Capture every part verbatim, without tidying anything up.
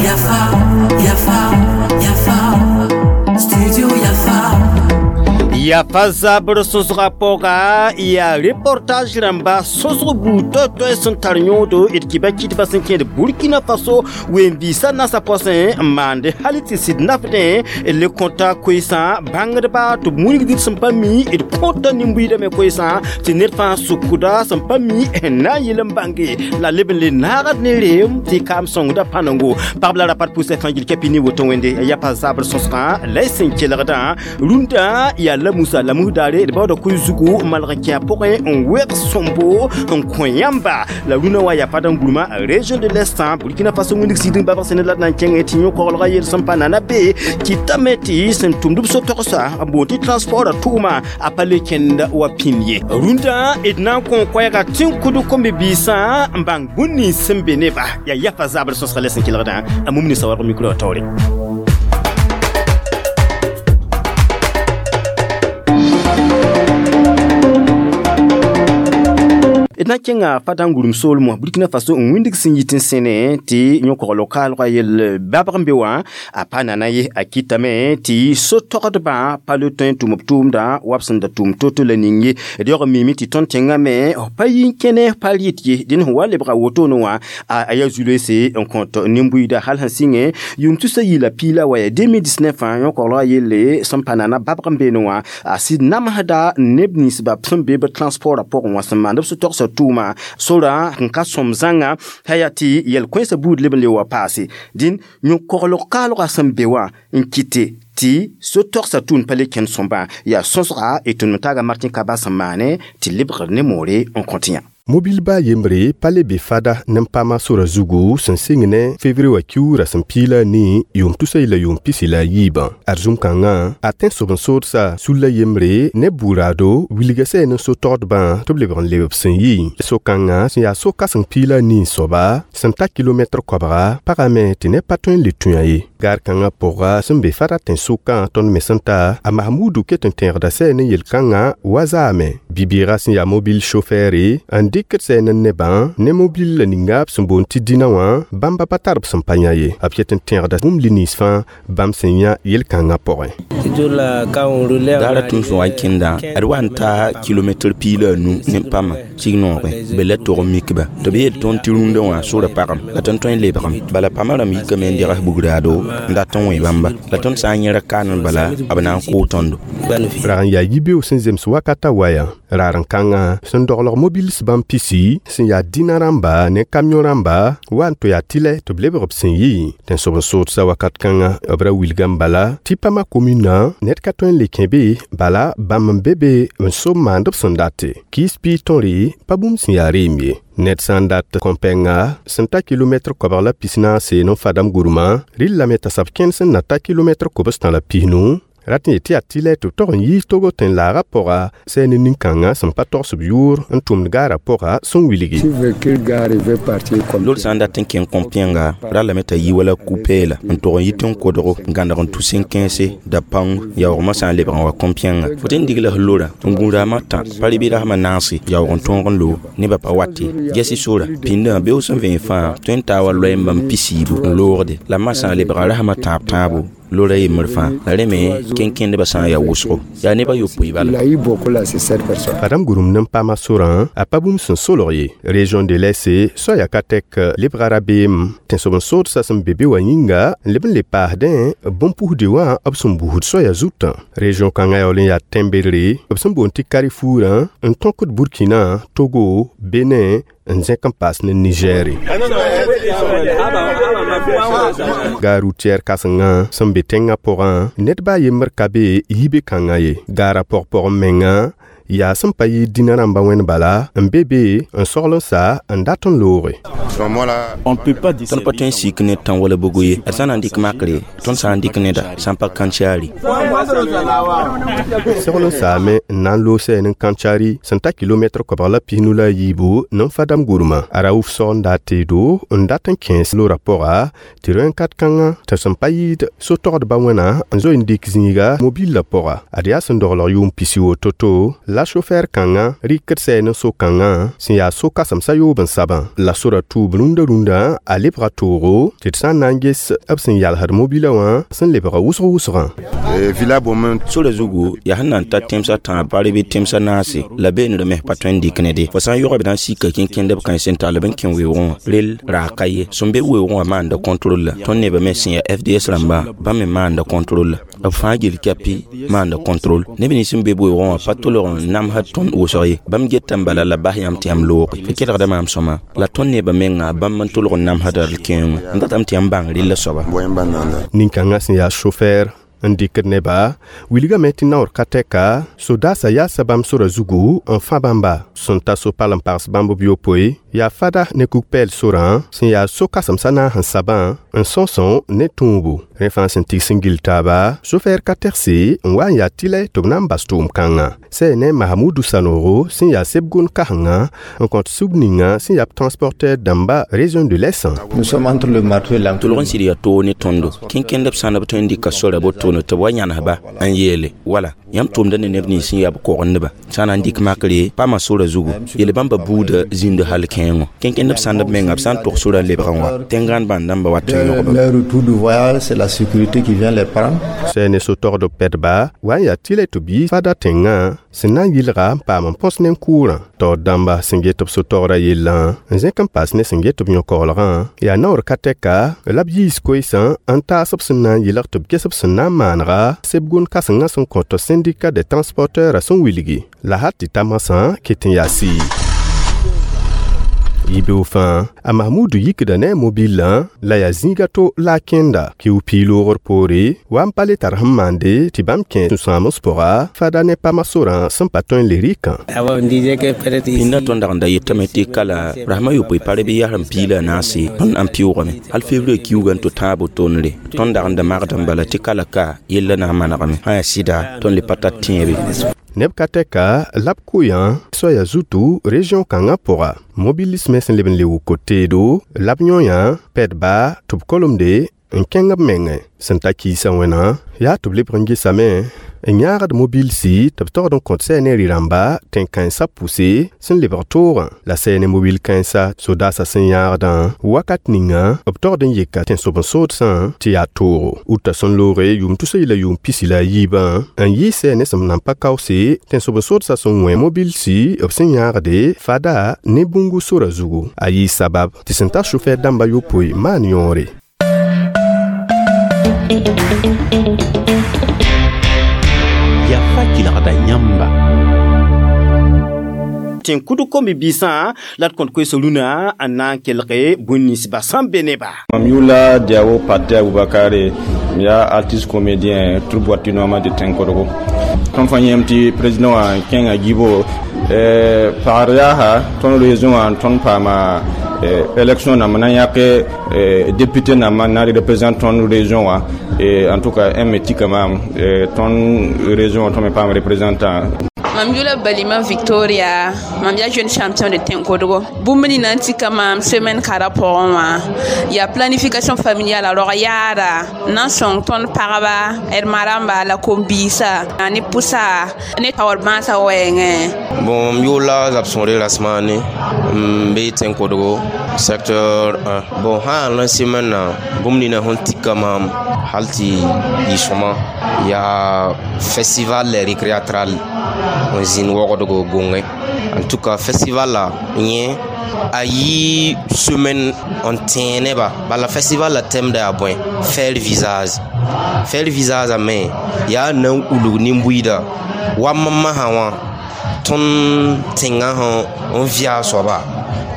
Yafa, Yafa, Yafa, Studio Yafa. Ya pa zabr sõsga pʋga yaa reportage rãmba sõsg buud toay-toay sẽn tar yõodo d kɩba kɩtbã sẽn kẽed Burkina Faso wen-biisã nasã pɔsẽ n maande hal tɩ sɩd nafdẽ d le kõta koeesã bãngdba tɩ b wilgd d sẽn pa mi d kõta nin-buiidame koeesã tɩ ned fãa sʋkda sẽn pa mi n na n yel n bãnge la leb n le naagd ne reem tɩ kaam sõngda pãnengo pagb la rapat pʋsɛ fãa gil kɛpɩ ne woto wẽnde ya pa zabr sõsgã la y sẽn kelgdã rũndã yaa la musa la musdaare d baooda koe zugu malg n kẽ a pʋgẽ n wɛg sõmbo n kõ yãmba la rũnã wa yaa padam gurmã région de l'Est Burkina Faso wĩndg sɩd n babg sẽn la d na n kẽngẽ tɩ yõ-koglgã yel sẽn pa nana be kɩtame tɩ sẽn tʋmd b so-togsã n boond tɩ transport tʋʋma a pa le kẽnd wa pĩnd ye rũndã d na n kõ koɛɛga tẽn-kʋd kom-biisã n bãng bũn nins sẽn be neba yaa yafa zabr sõsga la sẽn kelgdã a mum ninsã warg micro wã taoore. D na n kẽnga Fadangurem soolmã Burkina Faso n wĩndg sẽn yit n sẽne tɩ yõ-kogl kaalgã yell babg n be wã a pa nana ye a kɩtame tɩ so-togdbã pa le tõe n tʋm b tʋʋmdã wa b sẽn da tʋm to-to la ning ye d yaoog n miime tɩ tõnd tẽngame f pa yi n kẽne f pa rɩt ye dẽnd sẽn wa lebga wotone wã a yaa zu-loeese n kõt nin-buiida hal sẽn sɩngẽ yʋʋm tusa yɩ la piila wa yaa deux mille dix-neuf yõ-koglgã yelle sẽn pa nana babg n beene wã a sɩd namsda neb ninsba sẽn be b transportã pʋgẽ wã sẽn maand b so-togsã tʋʋma sora n ka sõm zãnga t'a yaa tɩ yɛl-kõensã buud leb n le wa paase dĩn yõ-koglg kaalgã sẽn be wã n kɩte tɩ so-togsã tʋʋn pa le kẽnd sõmbã yaa sõsga y tʋʋm taaga Martin Kaba sẽn maane tɩ lebgr ne moore n kõt yã. Mobil ba yembre pa le be fada ne pama sora zugu sẽn sɩng ne fevrier wa kiuura sẽn piila ni yʋʋm tusa la yʋʋm pisi la yiibã arzũm kãngã a tẽn-sob n soodsa sulla yembre ne buuraado wilga sɛ ne so-togdbã tɩ b lebg n leb b sẽn yi so-kãngã sẽn yaa so-kãseng piila nii soaba sẽn ta kilomɛtr koabga pagame tɩ ne pa tõe n le tũ-a ye gaar kãngã pʋga sẽn be fada tẽn-sʋkã tõnd me sẽn ta a Mahmudu ket n tẽegda sɛ ne yel-kãngã wa zaame bi-bɩɩgã sẽn yaa mobil chauffeure n dɩkd sɛ ne nebã ne mobil la ninga b sẽn boond tɩ dĩnã wã bãmba pa tar b sẽn pa yã ye b ket n tẽegda bũmb li-nins fãa bãmb sẽn yã yel-kãngã pʋgẽ. Daara tũus wa n kẽnda d wa n ta kilomɛtr piila a nu ne pama sig noogẽ be la tog n mikba tɩ b yeel tõnd tɩ rũndã wã sora pagem la tõnd tõe n lebgem bala pama rãmb yikame n degs bugraado n dat n wẽ bãmba la tõnd sã n yẽrg kaanẽ bala b na n kʋʋ tõndo. Rag n yaa yibeoog sẽn zems wakata waya raar n kãngã sẽn doglg mobils bãmb pisi sẽn yaa dĩnã rãmba ne kamiõ rãmba wa n to yaa tɩlɛ tɩ b lebg b sẽn yi tẽn-sob n soodsa wakat kãngã b ra wilga n bala tɩ pama komuna ned ka tõe n le kẽ be bala bãmb n be be n so maand b sẽn date kiis piig tõre pa bũmb sẽn yaa reem ye ned sã n dat kõ-pɛnga sẽn ta kilomɛtr koabg la pis-naase ne fadam gurmã rɩllame t'a sab kẽnd sẽn na ta kilomɛtr kobs-tã la pisnu rat n yet tɩ yaa tɩlɛ tɩ b tog n yiis togo tẽn-laagã pʋga sɛ ne nin-kãngã sẽn pa togs b yʋʋr n tʋmd gaarã pʋga sẽn wilgi. Loor sã n dat n kẽng kõ-pẽnga rallame t'a yi wala ku-peela n tog n yit n kodgo n gãneg n tus n kẽese da pãng yaoogmã sã n lebg n wa kõ-pẽnga fo tɩ n digl f lora n gũ raamã tã pa rɩ bɩ rasmã naase yaoog n tõog n loog nebã pa wate gɛsɩ sora pĩndã beoog sẽn vẽen fãa tõe n taa wa loɛɛ n bãmb pisiibu n loogde la ma sã n lebga rasmã tãab tãabo lora yembr fãa la rẽ me kẽn-kẽndbã sã n yaa wʋsgo yaa nebã yopoe bala. Fadam gũrem ne pama sorã a pa bũmb sẽn solg ye région de l'Est soaya ka tɛk lebga rabeem tẽn-sob n soodsa sẽn be be wã yĩnga n leb n le paasdẽ bõn-pusde wã b sẽn busd soaya zutã région kãngã yaool n yaa tẽn-bedre b sẽn boond tɩ Carrefourã n tõkd Burkina, Togo, Benin n zẽk n paas ne Nigɛɛre gaar routière kãsengã sẽn be tẽngã pʋgã ned baa yembr ka be yibe kãngã ye gaarã pɔg-pɔgẽ menga yaa sẽn pa yɩɩd dĩnã rãmbã wẽnd bala n be be n sogl n sa n dat n looge. Tõnd pa tõe n sik ne tã wala bugo ye d sã na n dɩk makre tõnd sã n dɩk neda sã n pa kãntsaari. Segl n saame n na n loog sɛ ne kãntsaari sẽn ta kilomɛtr koabg la pisnu la a yiibu ne fadam gurmã a Raouf sog n daa teedo n dat n kẽes lora pʋga tɩ rõen-kat kãngã tɩ sẽn pa yɩɩd so-togdbã wẽna n zoe n dɩk zĩiga mobil la pʋga ad yaa sẽn doglg yʋʋm pisi woto-to la La chauffeur kãngã rɩkd sɛɛ ne so-kãngã sẽn yaa so-kãsemsã yoob n sabã la sora tuub rũndã rũndã a lebga toogo tɩ d sã n na n ges b sẽn yalsd mobila wã sẽn lebga wʋsg wʋsgã. Sora zugu yaa sẽn na n ta tẽmsã tãab pa bɩ tẽmsã naase la beene me pa tõe n dɩk ne de fo sã n yogb na n sika kẽnkẽndb kãens n tall b n kẽ weoogẽ wã rel raag ka ye sẽn be weoogẽ wã maanda contrôle la tõnd nebã me sẽn yaa F D S rãmba bãmb me maanda contrôle la b fãa gel kɛpɩ maanda contrôle neb nins sẽn be weoogẽ wã pa tolg n namsd tõnd wʋsg ye bãmb geta n bala la bas yãmb tɩ yãmb looge fo kelgda maam sõma la tõnd nebã menga bãmb n tolg n namsda d kẽengẽ n datame tɩ yãmb bãng rella soaba. Nin-kãngã sẽn yaa chauffeur n dɩkd neba wilgame tɩ naoor ka tɛka sodaasã yaasa bãmb sora zugu n fã bãmba sẽn ta so-pal n pags bãmb b yopoe yaa fada ne kug-pɛɛl sorã sẽn yaa so-kãsemsã naas n sabã n sõsõ ne tũubu rẽ fãa sẽn tigs n gill taaba chauffeur ka tɛgse n wa n yaa tɩlɛ tɩ b na n bas tʋʋm-kãngã sɛ ne Mahamudu Sanogo sẽn yaa seb-gond kãsenga n kõt sug ninga sẽn yaa b transporteur dãmba région de l'Est. Nous sommes entre le marteau et l'enclume. Tʋlg n sɩd yaa toog ne tõndo kẽnkẽndb sãnd b tõe n dɩka sora botone tɩ b wa yãnesba n yeele wala yãmb tʋmda ne neb nins sẽn yaa b kogendba sã na n dɩk makre paama sora zugu yel bãmba buudã zĩnd hal kẽengo kẽnkẽndb sãnd b menga b sã n tog sora n lebgã wã tẽngãan bãn dãmba wat n yõgba. Leur retour du voyage, c'est la sécurité qui vient les prendre. Sɛ ne so-togd pɛdba wa n yaa tɩlɛ tɩ b yi fada tẽngã sẽn na n yɩlga n paam n põs nen-kʋʋrã taoor dãmba sẽn get b so-togra yellã n zẽk n paas ne sẽn get b yõ-koglgã yaa naoor ka tɛka la b yiis koeesã n taas b sẽn na n yɩlg tɩ b ges b sẽn na n maanega seb-gond kãsengã sẽn kõt syndicat des transporteurs sẽn wilgi la hal tɩ ta masã ket n yaa sɩɩ yibeoog fãa a Mahmudu yikda ne a mobilã la yaa zĩiga to la a kẽnda kiu piig-loogr poore wa n pa le tar sẽn maande tɩ bãmb kẽ sũ-sãams pʋga fada ne pama sorã sẽn pa tõe n le rɩkã. Pĩndã tõnd dag n da yetame tɩ kala rasmã yopoe pa bɩ yasem piig la a naase tõnd n pɩʋʋgame hal fevrier kiuugã n tɩ tãab wotone tõnd dag n da magd n bala tɩ kala ka yella na n manegame sã yaa sɩda tõnd le pa tar tẽebe. Neb ka tɛka la b koyã soaya zutu région kãngã pʋga mobilis me sẽn leb n le wʋk teedo la b yõ-yã pɛdba tɩ b kolmde n kẽng b mengẽ sẽn ta kiisã wẽna yaa tɩ b lebg n gesame n yãagd mobilsi tɩ b togd n kõt sɛ ne rɩ-rãmba tẽn-kãensã pʋse sẽn lebg toogã la sɛ ne mobil kãensa sodaasã sẽn yãagdã wakat ninga b togd n yeka tẽn-sob-n-soodsã tɩ yaa toogo uta sẽn looge yʋʋm tus la yʋʋm pisi la a yiibã n yɩ sɛ ne sẽn nan pa kaoose tẽn-sob-n-soodsã sẽn wẽ mobilsi b sẽn yãagde fada ne bũngu sora zugu a yɩ sabab tɩ sẽn ta chauffeur dãmba yopoe maan yõore. Yafa kelgda yãmba. Tẽn kʋd kom-biisã la d kõt koees rũnã n na n kelge bũn ninsba sẽn be neba. Mam yʋla Diawo Pate Aboubakare, m yaa artiste comédien troupe Boatinoma de Tẽn-kodgo. Tõnd fãa yẽem tɩ président wã kẽnga gibo pagr yaasa tõnd région wã tõnd paama élection namba na n yãk député namba n na n représente tõnd région wã. En tout cas un me tika maam tõnd région wã tõnd me paam représentant. Mam yula Balima Victoria, mam yaa jeune champion de Tenkodogo. Bũmb nina n tika maam semaine kãra pʋgẽ wã yaa planification familiale a rog yaada n na n sõng tõnd pagba d ma-rãmba la kom-biisã ne pʋsa ne taoor bãasã wɛɛngẽ. Bon, m yʋʋla Zabsõre Rasmane, n be Tẽn-kodgo secteur un. Bon, sã n na semaine na bũmb nina sẽn tika maam hal tɩ yɩ sõma yaa festival récréatral n zĩnd wogdgo gõngẽ. En tout cas festival la yẽ a yɩ semaine n tẽeg neba bala festival la thème da yaa bõe faire visage faire visage a me yaa na n ulg nin-buiida wa masã wã tõnd tẽngã sẽn n vɩa a soaba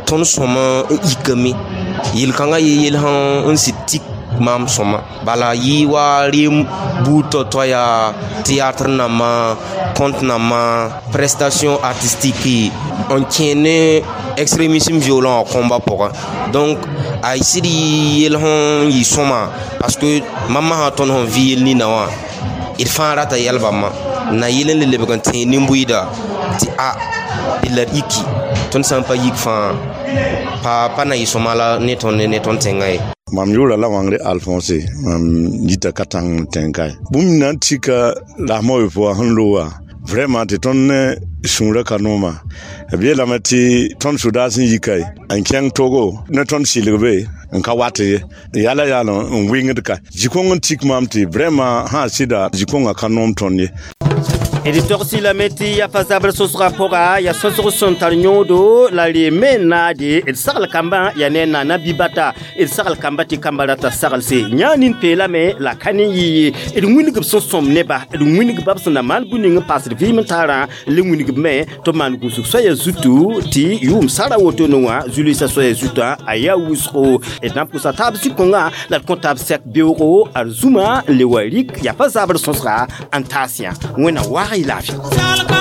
tõnd sõma n ikame yel-kãngã yɩ yel sẽn n sɩd tik maam sõma bala yɩ wa rem buud tao-tao yaa théâtre nambã conte nambã prestation artistique n kẽ ne extrémisme violent a kõmba pʋgã donc a sɩd yɩ yel sẽn yɩ sõma parce que mam masã tõnd sẽn vɩ yel nina wã d fãa rata yɛl bãmba na yel n le lebg n tẽeg nin-buiida tɩ a d la d yiki tõnd sã n pa yik fãa pa pa na yɩ sõma la ne tõnd ne tõnd tẽngã ye. Mam yʋʋra la Wãngre Alphonse, mam yita ka tãng tẽn-kae bũmb na n tika rasmã yopoe wã sẽn looga Vraiment tɩ tõnd ne sũurã ka nooma. B yeelame tɩ tõnd sodaas sẽn yi kae n kẽng Togo ne tõnd sɩlgbe n ka wat ye. Yala yaal n wɩngd ka. Zĩ-kõng n tik maam tɩ vraiment sã sɩda zĩ-kõngã ka noom tõnd ye. D togsi lame tɩ yaa fa zabr sõsgã pʋga yaa sõsg sẽn tar yõodo la reeme n naade d sagl kambã yaa ne naana bibata d sagl kamba tɩ kamba rata saglse yã nin peelame la ka ne yɩ ye d wĩng b sẽn sõm neba d wĩnг bab sẽn na maan bũ ning n paasd vɩɩm n taarã le wĩnг me tɩ b maan gũsg soaya zutu tɩ yʋʋm sara wotone wã zu-loeesã soaya zutã a yaa wʋsgo d na n pʋsa taab zĩ-kõngã la d kõ taab sɛk beoogo ad zũma n le wa rik yaa pa zabr sõsga n taas yã wẽnna waag y laafɩ.